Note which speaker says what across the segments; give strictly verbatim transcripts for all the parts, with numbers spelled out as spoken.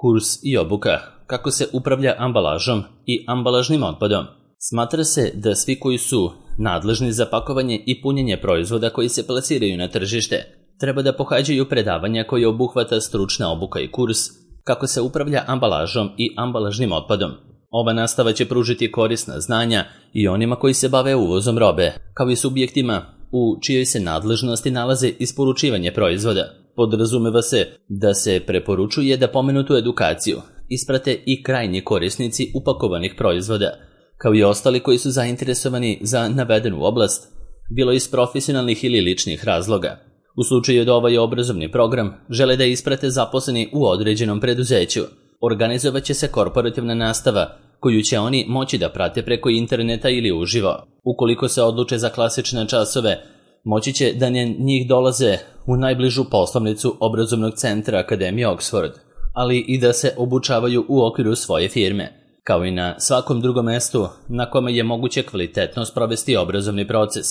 Speaker 1: Kurs i obuka kako se upravlja ambalažom i ambalažnim otpadom. Smatra se da svi koji su nadležni za pakovanje i punjenje proizvoda koji se plasiraju na tržište treba da pohađaju predavanja koje obuhvata stručna obuka i kurs kako se upravlja ambalažom i ambalažnim otpadom. Ova nastava će pružiti korisna znanja i onima koji se bave uvozom robe, kao i subjektima u čijoj se nadležnosti nalaze isporučivanje proizvoda. Podrazumeva se da se preporučuje da pomenutu edukaciju isprate i krajnji korisnici upakovanih proizvoda, kao i ostali koji su zainteresovani za navedenu oblast, bilo iz profesionalnih ili ličnih razloga. U slučaju da ovaj obrazovni program žele da isprate zaposleni u određenom preduzeću, organizovat će se korporativna nastava koju će oni moći da prate preko interneta ili uživo. Ukoliko se odluče za klasične časove, moći će da njih dolaze u najbližu poslovnicu obrazovnog centra Akademije Oxford, ali i da se obučavaju u okviru svoje firme, kao i na svakom drugom mestu na kome je moguće kvalitetno sprovesti obrazovni proces.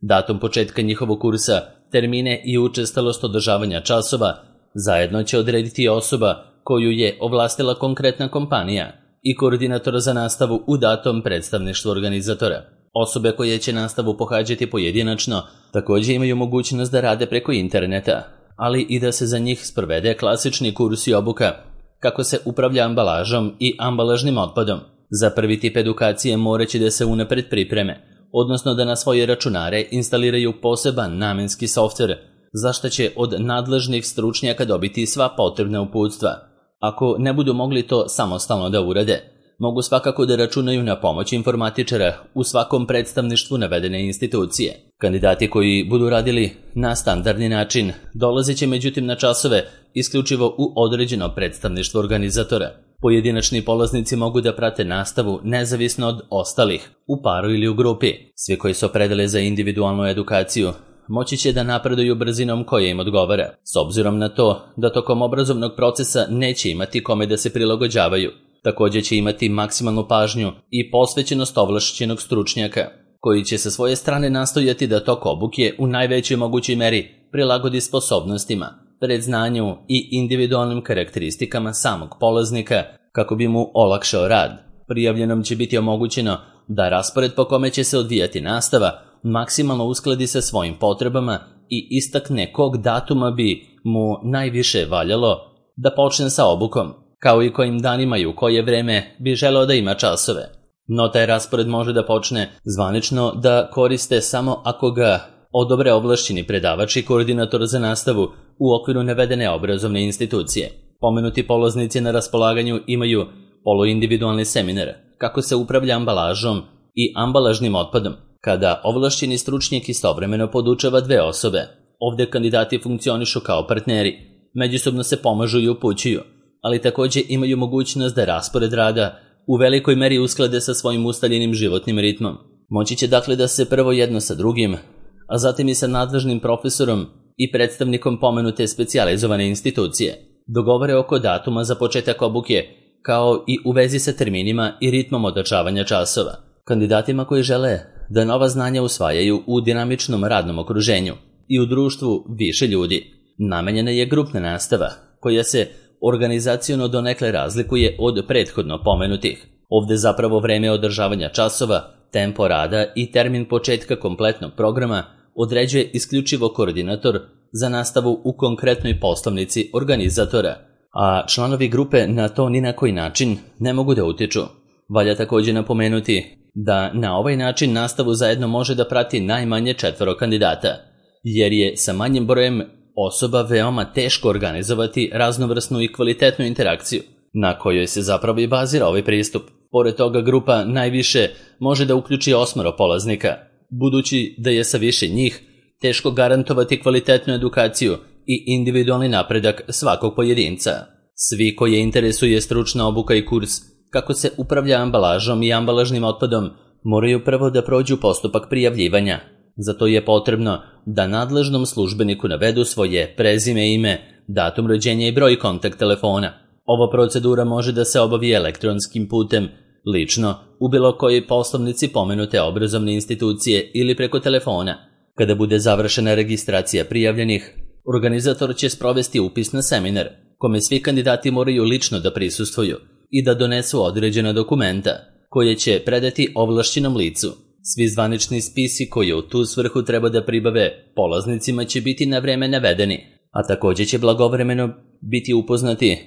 Speaker 1: Datum početka njihovog kursa, termine i učestalost održavanja časova zajedno će odrediti osoba koju je ovlastila konkretna kompanija i koordinator za nastavu u datom predstavništvu organizatora. Osobe koje će nastavu pohađati pojedinačno također imaju mogućnost da rade preko interneta, ali i da se za njih sprovede klasični kurs i obuka kako se upravlja ambalažom i ambalažnim otpadom. Za prvi tip edukacije moraće da se unapred pripreme, odnosno da na svoje računare instaliraju poseban namenski softver, za što će od nadležnih stručnjaka dobiti sva potrebna uputstva. Ako ne budu mogli to samostalno da urade, mogu svakako da računaju na pomoć informatičara u svakom predstavništvu navedene institucije. Kandidati koji budu radili na standardni način dolazit će međutim na časove isključivo u određeno predstavništvo organizatora. Pojedinačni polaznici mogu da prate nastavu nezavisno od ostalih, u paru ili u grupi. Svi koji se opredele za individualnu edukaciju moći će da napreduju brzinom koja im odgovara, s obzirom na to da tokom obrazovnog procesa neće imati kome da se prilagođavaju. Također će imati maksimalnu pažnju i posvećenost ovlašćenog stručnjaka, koji će sa svoje strane nastojati da tok obuke u najvećoj mogućoj meri prilagodi sposobnostima, predznanju i individualnim karakteristikama samog polaznika kako bi mu olakšao rad. Prijavljenom će biti omogućeno da raspored po kome će se odvijati nastava maksimalno uskladi sa svojim potrebama i istakne kog datuma bi mu najviše valjalo da počne sa obukom, kao i kojim danima i u koje vreme bi želeo da ima časove. No taj raspored može da počne zvanično da koriste samo ako ga odobre ovlašćeni predavač i koordinator za nastavu u okviru navedene obrazovne institucije. Pomenuti polaznici na raspolaganju imaju poluindividualni seminar kako se upravlja ambalažom i ambalažnim otpadom, kada ovlašćeni stručnjak istovremeno podučava dve osobe. Ovde kandidati funkcionišu kao partneri, međusobno se pomažu i upućuju, ali također imaju mogućnost da raspored rada u velikoj meri usklade sa svojim ustaljenim životnim ritmom. Moći će dakle da se prvo jedno sa drugim, a zatim i sa nadležnim profesorom i predstavnikom pomenute specijalizovane institucije dogovore oko datuma za početak obuke, kao i u vezi sa terminima i ritmom održavanja časova. Kandidatima koji žele da nova znanja usvajaju u dinamičnom radnom okruženju i u društvu više ljudi, namenjena je grupna nastava, koja se organizaciono donekle razlikuje od prethodno pomenutih. Ovde zapravo vreme održavanja časova, tempo rada i termin početka kompletnog programa određuje isključivo koordinator za nastavu u konkretnoj poslovnici organizatora, a članovi grupe na to ni na koji način ne mogu da utiču. Valja također napomenuti da na ovaj način nastavu zajedno može da prati najmanje četvoro kandidata, jer je sa manjim brojem osoba veoma teško organizovati raznovrsnu i kvalitetnu interakciju, na kojoj se zapravo i bazira ovaj pristup. Pored toga, grupa najviše može da uključi osmoro polaznika, budući da je sa više njih teško garantovati kvalitetnu edukaciju i individualni napredak svakog pojedinca. Svi koje interesuje stručna obuka i kurs kako se upravlja ambalažom i ambalažnim otpadom moraju prvo da prođu postupak prijavljivanja. Zato je potrebno da nadležnom službeniku navedu svoje prezime, ime, datum rođenja i broj kontakt telefona. Ova procedura može da se obavi elektronskim putem, lično, u bilo kojoj poslovnici pomenute obrazovne institucije ili preko telefona. Kada bude završena registracija prijavljenih, organizator će sprovesti upis na seminar, kome svi kandidati moraju lično da prisustvuju i da donesu određena dokumenta koje će predati ovlašćenom licu. Svi zvanični spisi koji u tu svrhu treba da pribave polaznicima će biti na vreme navedeni, a također će blagovremeno biti upoznati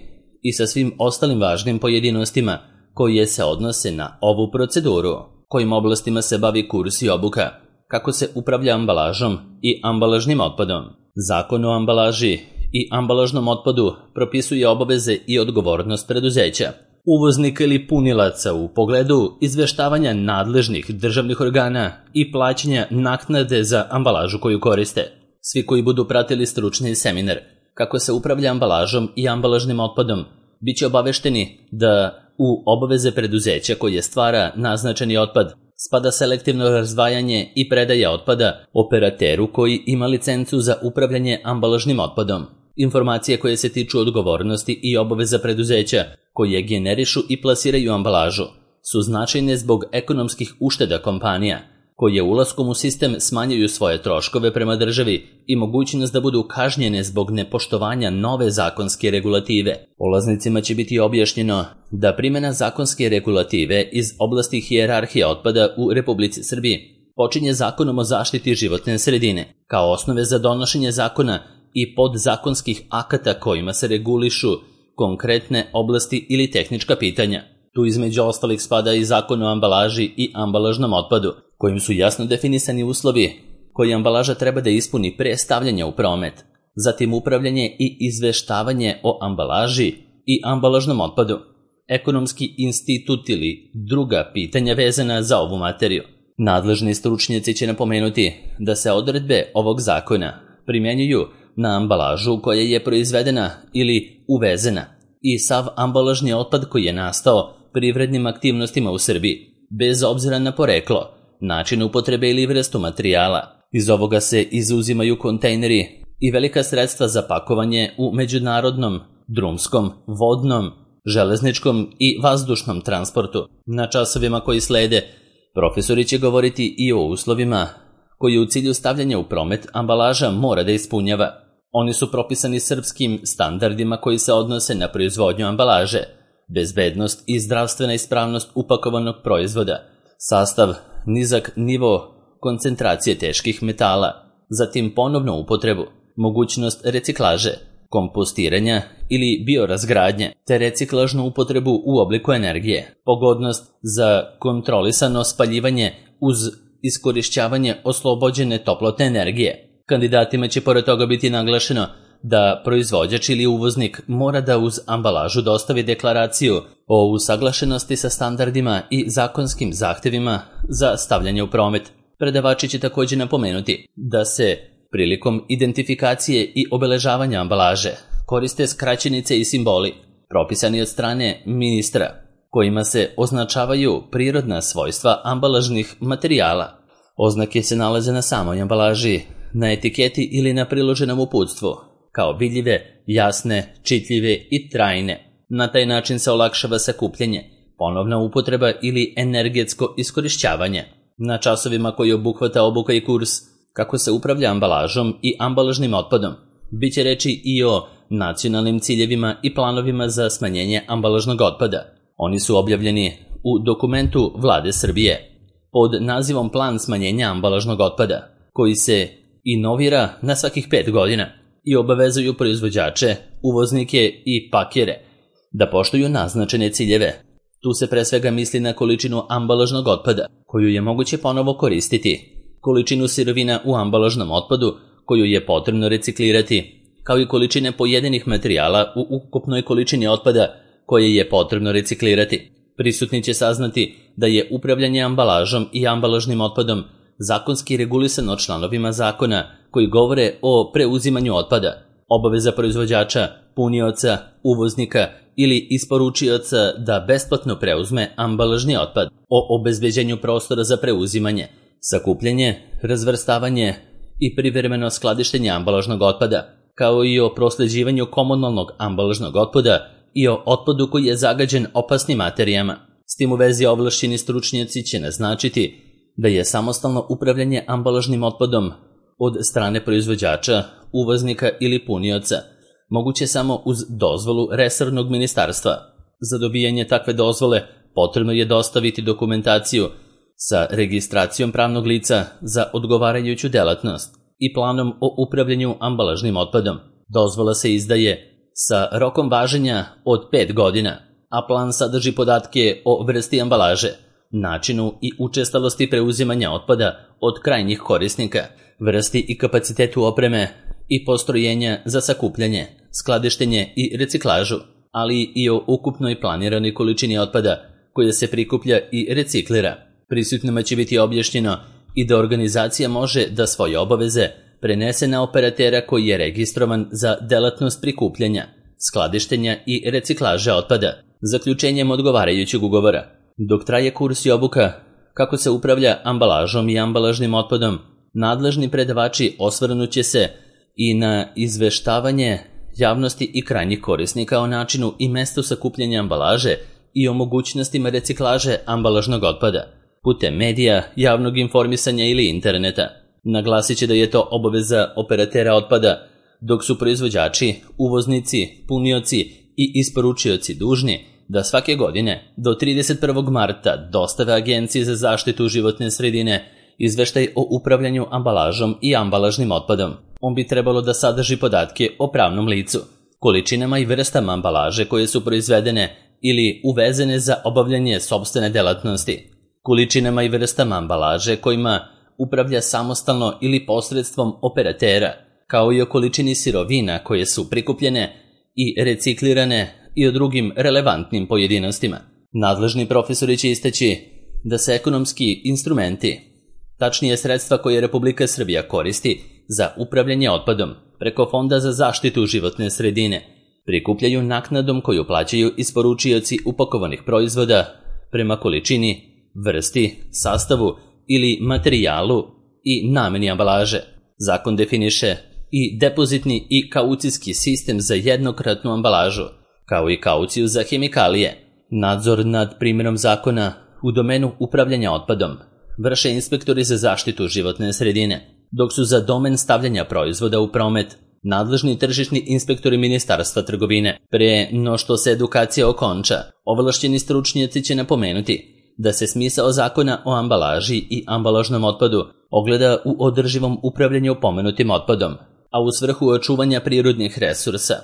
Speaker 1: i sa svim ostalim važnim pojedinostima koje se odnose na ovu proceduru, kojim oblastima se bavi kurs i obuka, kako se upravlja ambalažom i ambalažnim otpadom. Zakon o ambalaži i ambalažnom otpadu propisuje obaveze i odgovornost preduzeća, uvoznika ili punilaca u pogledu izveštavanja nadležnih državnih organa i plaćanja naknade za ambalažu koju koriste. Svi koji budu pratili stručni seminar kako se upravlja ambalažom i ambalažnim otpadom bit će obavešteni da u obaveze preduzeća koje stvara naznačeni otpad spada selektivno razdvajanje i predaja otpada operateru koji ima licencu za upravljanje ambalažnim otpadom. Informacije koje se tiču odgovornosti i obaveza preduzeća koje generišu i plasiraju ambalažu su značajne zbog ekonomskih ušteda kompanija, koje ulaskom u sistem smanjuju svoje troškove prema državi i mogućnost da budu kažnjene zbog nepoštovanja nove zakonske regulative. Polaznicima će biti objašnjeno da primjena zakonske regulative iz oblasti hijerarhije otpada u Republici Srbiji počinje Zakonom o zaštiti životne sredine, kao osnove za donošenje zakona i podzakonskih akata kojima se regulišu konkretne oblasti ili tehnička pitanja. Tu između ostalih spada i Zakon o ambalaži i ambalažnom otpadu, kojim su jasno definisani uslovi koji ambalaža treba da ispuni pre stavljanja u promet, zatim upravljanje i izveštavanje o ambalaži i ambalažnom otpadu, ekonomski institut ili druga pitanja vezana za ovu materiju. Nadležni stručnjaci će napomenuti da se odredbe ovog zakona primjenjuju na ambalažu koja je proizvedena ili uvezena i sav ambalažni otpad koji je nastao privrednim aktivnostima u Srbiji, bez obzira na poreklo, način upotrebe ili vrstu materijala. Iz ovoga se izuzimaju kontejneri i velika sredstva za pakovanje u međunarodnom, drumskom, vodnom, železničkom i vazdušnom transportu. Na časovima koji slede, profesori će govoriti i o uslovima koji u cilju stavljanja u promet ambalaža mora da ispunjava. Oni su propisani srpskim standardima koji se odnose na proizvodnju ambalaže, bezbednost i zdravstvena ispravnost upakovanog proizvoda, sastav, nizak nivo koncentracije teških metala, zatim ponovnu upotrebu, mogućnost reciklaže, kompostiranja ili biorazgradnje, te reciklažnu upotrebu u obliku energije, pogodnost za kontrolisano spaljivanje uz iskorišćavanje oslobođene toplotne energije. Kandidatima će pored toga biti naglašeno da proizvođač ili uvoznik mora da uz ambalažu dostavi deklaraciju o usaglašenosti sa standardima i zakonskim zahtevima za stavljanje u promet. Predavači će također napomenuti da se prilikom identifikacije i obeležavanja ambalaže koriste skraćenice i simboli propisani od strane ministra, kojima se označavaju prirodna svojstva ambalažnih materijala. Oznake se nalaze na samoj ambalaži, na etiketi ili na priloženom uputstvu, kao vidljive, jasne, čitljive i trajne. Na taj način se olakšava sakupljanje, ponovna upotreba ili energetsko iskorišćavanje. Na časovima koji obuhvata obuka i kurs kako se upravlja ambalažom i ambalažnim otpadom, bit će reči i o nacionalnim ciljevima i planovima za smanjenje ambalažnog otpada. Oni su objavljeni u dokumentu Vlade Srbije pod nazivom Plan smanjenja ambalažnog otpada, koji se inovira na svakih pet godina i obavezuju proizvođače, uvoznike i pakere da poštuju naznačene ciljeve. Tu se pre svega misli na količinu ambalažnog otpada, koju je moguće ponovo koristiti, količinu sirovina u ambalažnom otpadu, koju je potrebno reciklirati, kao i količine pojedinih materijala u ukupnoj količini otpada koje je potrebno reciklirati. Prisutni će saznati da je upravljanje ambalažom i ambalažnim otpadom zakonski regulisano članovima zakona koji govore o preuzimanju otpada, obaveza proizvođača, punioca, uvoznika ili isporučioca da besplatno preuzme ambalažni otpad, o obezbeđenju prostora za preuzimanje, sakupljanje, razvrstavanje i privremeno skladištenje ambalažnog otpada, kao i o prosleđivanju komunalnog ambalažnog otpada i o otpadu koji je zagađen opasnim materijama. S tim u vezi ovlašćeni stručnjaci će naznačiti da je samostalno upravljanje ambalažnim otpadom od strane proizvođača, uvoznika ili punioca moguće samo uz dozvolu resornog ministarstva. Za dobijanje takve dozvole potrebno je dostaviti dokumentaciju sa registracijom pravnog lica za odgovarajuću delatnost i planom o upravljanju ambalažnim otpadom. Dozvola se izdaje sa rokom važenja od pet godina, a plan sadrži podatke o vrsti ambalaže, načinu i učestalosti preuzimanja otpada od krajnjih korisnika, vrsti i kapacitetu opreme i postrojenja za sakupljanje, skladištenje i reciklažu, ali i o ukupnoj planiranoj količini otpada koja se prikuplja i reciklira. Prisutnima će biti objašnjeno i da organizacija može da svoje obaveze prenese na operatera koji je registrovan za delatnost prikupljanja, skladištenja i reciklaže otpada, zaključenjem odgovarajućeg ugovora. Dok traje kurs i obuka kako se upravlja ambalažom i ambalažnim otpadom, nadležni predavači osvrnuće se i na izveštavanje javnosti i krajnjih korisnika o načinu i mestu sakupljanja ambalaže i o mogućnostima reciklaže ambalažnog otpada putem medija, javnog informisanja ili interneta. Naglasit će da je to obaveza operatera otpada, dok su proizvođači, uvoznici, punioci i isporučioci dužni da svake godine do trideset prvog marta dostave Agenciji za zaštitu životne sredine izveštaj o upravljanju ambalažom i ambalažnim otpadom. On bi trebalo da sadrži podatke o pravnom licu, količinama i vrstama ambalaže koje su proizvedene ili uvezene za obavljanje sopstvene delatnosti, količinama i vrstama ambalaže kojima upravlja samostalno ili posredstvom operatera, kao i o količini sirovina koje su prikupljene i reciklirane i o drugim relevantnim pojedinostima. Nadležni profesori će istaći da se ekonomski instrumenti, tačnije sredstva koje Republika Srbija koristi za upravljanje otpadom preko Fonda za zaštitu životne sredine, prikupljaju naknadom koju plaćaju isporučioci upakovanih proizvoda prema količini, vrsti, sastavu ili materijalu i nameni ambalaže. Zakon definiše i depozitni i kaucijski sistem za jednokratnu ambalažu, kao i kauciju za hemikalije. Nadzor nad primjenom zakona u domenu upravljanja otpadom vrše inspektori za zaštitu životne sredine, dok su za domen stavljanja proizvoda u promet nadležni tržišni inspektori Ministarstva trgovine. Pre no što se edukacija okonča, ovlašćeni stručnjaci će napomenuti da se smisao zakona o ambalaži i ambalažnom otpadu ogleda u održivom upravljanju pomenutim otpadom, a u svrhu očuvanja prirodnih resursa,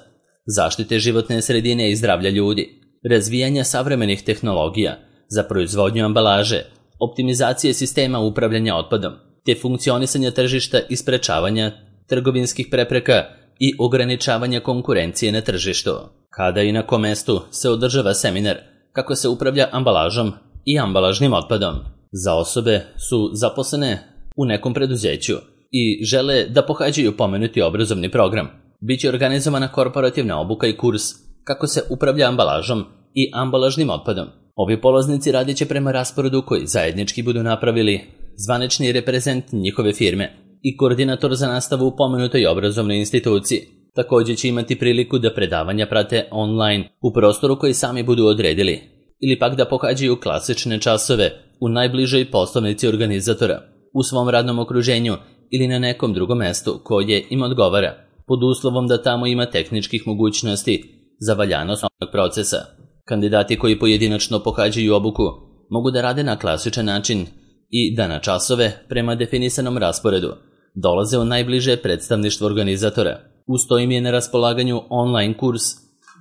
Speaker 1: zaštite životne sredine i zdravlja ljudi, razvijanja savremenih tehnologija za proizvodnju ambalaže, optimizacije sistema upravljanja otpadom, te funkcionisanja tržišta i sprečavanja trgovinskih prepreka i ograničavanja konkurencije na tržištu. Kada i na kom mestu se održava seminar kako se upravlja ambalažom i ambalažnim otpadom. Za osobe su zaposlene u nekom preduzeću i žele da pohađaju pomenuti obrazovni program. Biće organizovana korporativna obuka i kurs kako se upravlja ambalažom i ambalažnim otpadom. Ovi polaznici radit će prema rasporedu koji zajednički budu napravili zvanični reprezent njihove firme i koordinator za nastavu u pomenutoj obrazovnoj instituciji. Također će imati priliku da predavanja prate online u prostoru koji sami budu odredili, ili pak da pohađaju klasične časove u najbližoj poslovnici organizatora, u svom radnom okruženju ili na nekom drugom mestu koje im odgovara, pod uslovom da tamo ima tehničkih mogućnosti za valjanost ovog procesa. Kandidati koji pojedinačno pohađaju obuku mogu da rade na klasičan način i da na časove prema definisanom rasporedu dolaze u najbliže predstavništvo organizatora. Uz to im je na raspolaganju online kurs,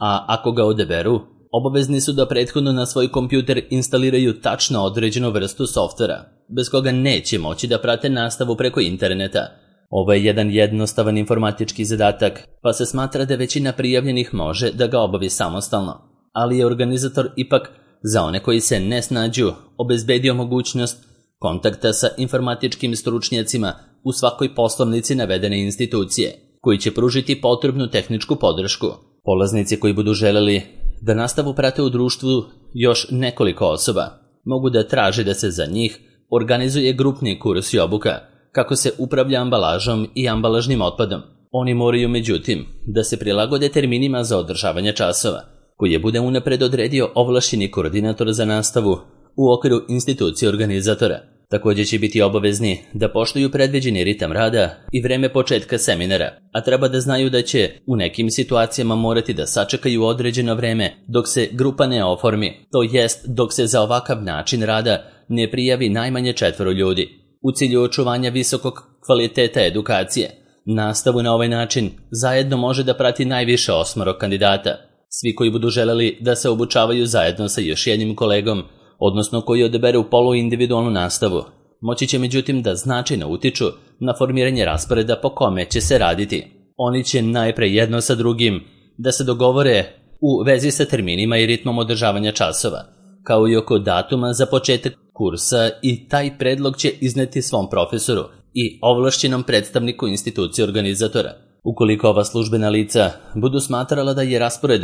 Speaker 1: a ako ga odeberu, obavezni su da prethodno na svoj kompjuter instaliraju tačno određenu vrstu softvera, bez koga neće moći da prate nastavu preko interneta. Ovo je jedan jednostavan informatički zadatak, pa se smatra da većina prijavljenih može da ga obavi samostalno, ali je organizator ipak za one koji se ne snađu obezbedio mogućnost kontakta sa informatičkim stručnjacima u svakoj poslovnici navedene institucije, koji će pružiti potrebnu tehničku podršku. Polaznici koji budu želeli da nastavu prate u društvu još nekoliko osoba, mogu da traže da se za njih organizuje grupni kurs i obuka kako se upravlja ambalažom i ambalažnim otpadom. Oni moraju međutim da se prilagode terminima za održavanje časova, koji je bude unapred odredio ovlašćeni koordinator za nastavu u okviru institucije organizatora. Također će biti obavezni da poštuju predviđeni ritam rada i vreme početka seminara, a treba da znaju da će u nekim situacijama morati da sačekaju određeno vreme dok se grupa ne oformi, to jest dok se za ovakav način rada ne prijavi najmanje četvoro ljudi. U cilju očuvanja visokog kvaliteta edukacije, nastavu na ovaj način zajedno može da prati najviše osmoro kandidata. Svi koji budu želeli da se obučavaju zajedno sa još jednim kolegom, odnosno koji odaberu poluindividualnu nastavu, moći će međutim da značajno utiču na formiranje rasporeda po kome će se raditi. Oni će najpre jedno sa drugim da se dogovore u vezi sa terminima i ritmom održavanja časova, kao i oko datuma za početak kursa, i taj predlog će izneti svom profesoru i ovlašćenom predstavniku institucije organizatora. Ukoliko ova službena lica budu smatrala da je raspored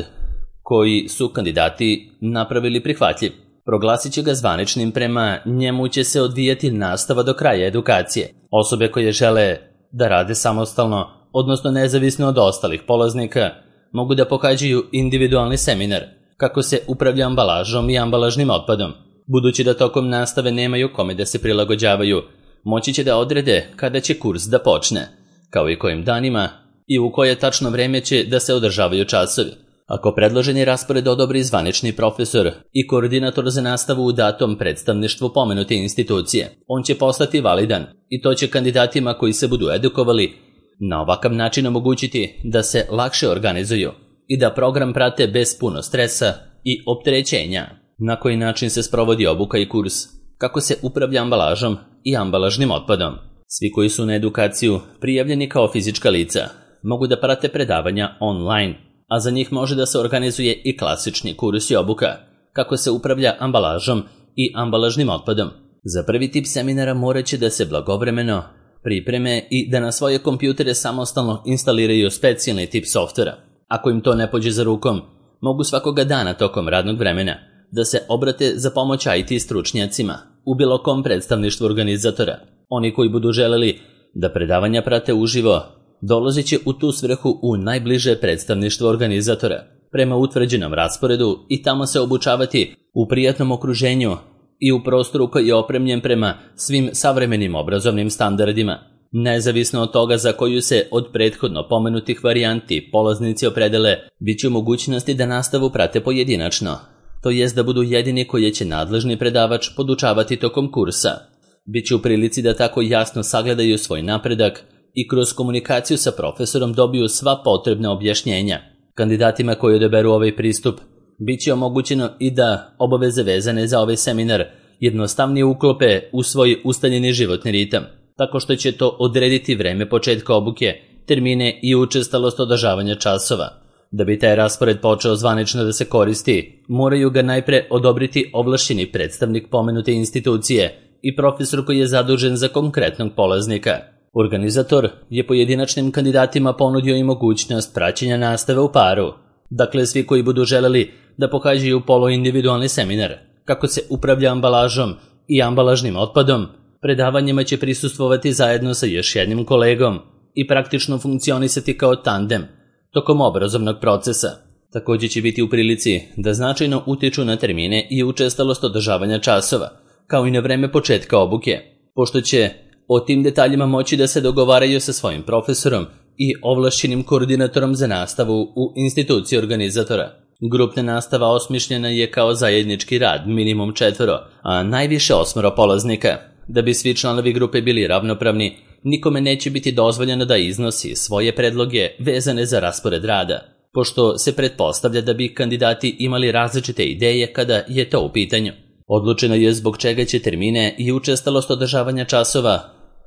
Speaker 1: koji su kandidati napravili prihvatljiv, proglasit će ga zvaničnim, prema njemu će se odvijati nastava do kraja edukacije. Osobe koje žele da rade samostalno, odnosno nezavisno od ostalih polaznika, mogu da pohađaju individualni seminar kako se upravlja ambalažom i ambalažnim otpadom. Budući da tokom nastave nemaju kome da se prilagođavaju, moći će da odrede kada će kurs da počne, kao i kojim danima i u koje tačno vreme će da se održavaju časovi. Ako predloženi raspored odobri zvanični profesor i koordinator za nastavu u datom predstavništvu pomenute institucije, on će postati validan i to će kandidatima koji se budu edukovali na ovakav način omogućiti da se lakše organizuju i da program prate bez puno stresa i opterećenja. Na koji način se sprovodi obuka i kurs, kako se upravlja ambalažom i ambalažnim otpadom. Svi koji su na edukaciju prijavljeni kao fizička lica mogu da prate predavanja online, a za njih može da se organizuje i klasični kurs i obuka, kako se upravlja ambalažom i ambalažnim otpadom. Za prvi tip seminara morat će da se blagovremeno pripreme i da na svoje kompjutere samostalno instaliraju specijalni tip softvera. Ako im to ne pođe za rukom, mogu svakoga dana tokom radnog vremena da se obrate za pomoć I T stručnjacima u bilo kom predstavništvu organizatora. Oni koji budu želeli da predavanja prate uživo, dolazit će u tu svrhu u najbliže predstavništvo organizatora prema utvrđenom rasporedu i tamo se obučavati u prijatnom okruženju i u prostoru koji je opremljen prema svim savremenim obrazovnim standardima. Nezavisno od toga za koju se od prethodno pomenutih varijanti polaznici opredele, bit će u mogućnosti da nastavu prate pojedinačno, to jest da budu jedini koje će nadležni predavač podučavati tokom kursa. Biće u prilici da tako jasno sagledaju svoj napredak i kroz komunikaciju sa profesorom dobiju sva potrebna objašnjenja. Kandidatima koji odaberu ovaj pristup bit će omogućeno i da obaveze vezane za ovaj seminar jednostavnije uklope u svoj ustaljeni životni ritam, tako što će to odrediti vreme početka obuke, termine i učestalost održavanja časova. Da bi taj raspored počeo zvanično da se koristi, moraju ga najpre odobriti ovlašćeni predstavnik pomenute institucije i profesor koji je zadužen za konkretnog polaznika. Organizator je pojedinačnim kandidatima ponudio i mogućnost praćenja nastave u paru. Dakle, svi koji budu želeli da pohađaju poluindividualni seminar, kako se upravlja ambalažom i ambalažnim otpadom, predavanjima će prisustvovati zajedno sa još jednim kolegom i praktično funkcionisati kao tandem tokom obrazovnog procesa. Također će biti u prilici da značajno utiču na termine i učestalost održavanja časova, kao i na vreme početka obuke, pošto će o tim detaljima moći da se dogovaraju sa svojim profesorom i ovlašćenim koordinatorom za nastavu u instituciji organizatora. Grupna nastava osmišljena je kao zajednički rad, minimum četvoro, a najviše osmoro polaznika. Da bi svi članovi grupe bili ravnopravni, nikome neće biti dozvoljeno da iznosi svoje predloge vezane za raspored rada, pošto se pretpostavlja da bi kandidati imali različite ideje kada je to u pitanju. Odlučeno je zbog čega će termine i učestalost održavanja časova,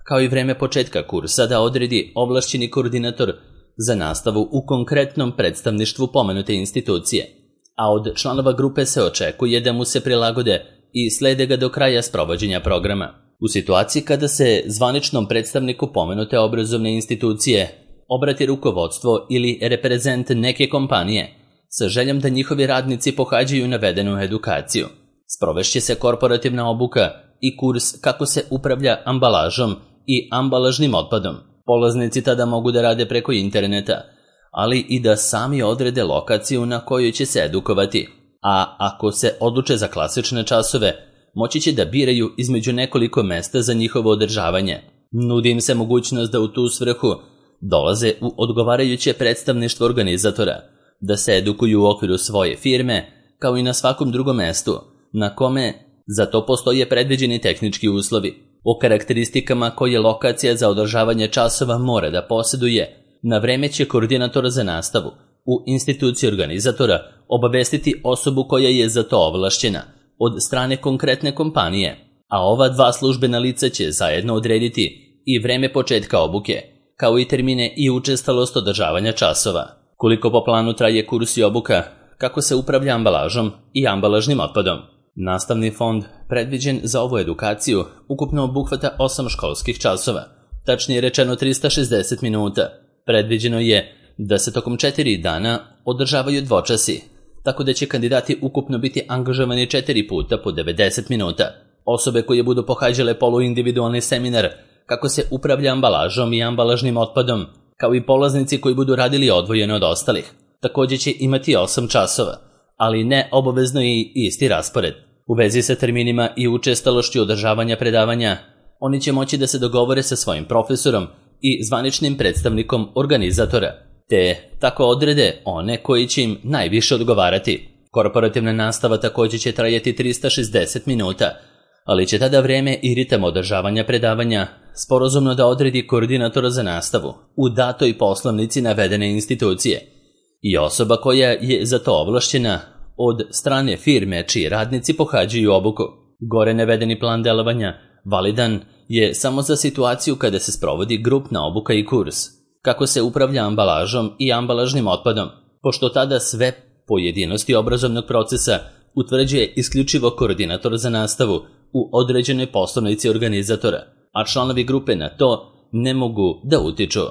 Speaker 1: kao i vreme početka kursa, da odredi ovlašćeni koordinator za nastavu u konkretnom predstavništvu pomenute institucije, a od članova grupe se očekuje da mu se prilagode i slede ga do kraja sprovođenja programa. U situaciji kada se zvaničnom predstavniku pomenute obrazovne institucije obrati rukovodstvo ili reprezent neke kompanije sa željom da njihovi radnici pohađaju navedenu edukaciju, sprovešće se korporativna obuka i kurs kako se upravlja ambalažom i ambalažnim otpadom. Polaznici tada mogu da rade preko interneta, ali i da sami odrede lokaciju na kojoj će se edukovati, a ako se odluče za klasične časove, moći će da biraju između nekoliko mesta za njihovo održavanje. Nudi im se mogućnost da u tu svrhu dolaze u odgovarajuće predstavništvo organizatora, da se edukuju u okviru svoje firme, kao i na svakom drugom mestu, na kome za to postoje predviđeni tehnički uslovi. O karakteristikama koje lokacija za održavanje časova mora da posjeduje, na vreme će koordinator za nastavu u instituciji organizatora obavestiti osobu koja je za to ovlašćena od strane konkretne kompanije, a ova dva službena lica će zajedno odrediti i vreme početka obuke, kao i termine i učestalost održavanja časova. Koliko po planu traje kurs i obuka, kako se upravlja ambalažom i ambalažnim otpadom. Nastavni fond predviđen za ovu edukaciju ukupno obuhvata osam školskih časova, tačnije rečeno trista šezdeset minuta. Predviđeno je da se tokom četiri dana održavaju dvočasi, tako da će kandidati ukupno biti angažovani četiri puta po devedeset minuta. Osobe koje budu pohađale poluindividualni seminar kako se upravlja ambalažom i ambalažnim otpadom, kao i polaznici koji budu radili odvojeno od ostalih, također će imati osam časova, ali ne obavezno i isti raspored. U vezi sa terminima i učestalošću održavanja predavanja, oni će moći da se dogovore sa svojim profesorom i zvaničnim predstavnikom organizatora, te tako odrede one koji će im najviše odgovarati. Korporativna nastava također će trajati trista šezdeset minuta, ali će tada vreme i ritam održavanja predavanja sporazumno da odredi koordinator za nastavu u datoj poslovnici navedene institucije i osoba koja je za to ovlašćena od strane firme čiji radnici pohađaju obuku. Gore navedeni plan delovanja validan je samo za situaciju kada se sprovodi grupna obuka i kurs, kako se upravlja ambalažom i ambalažnim otpadom, pošto tada sve pojedinosti obrazovnog procesa utvrđuje isključivo koordinator za nastavu u određenoj poslovnici organizatora, a članovi grupe na to ne mogu da utiču.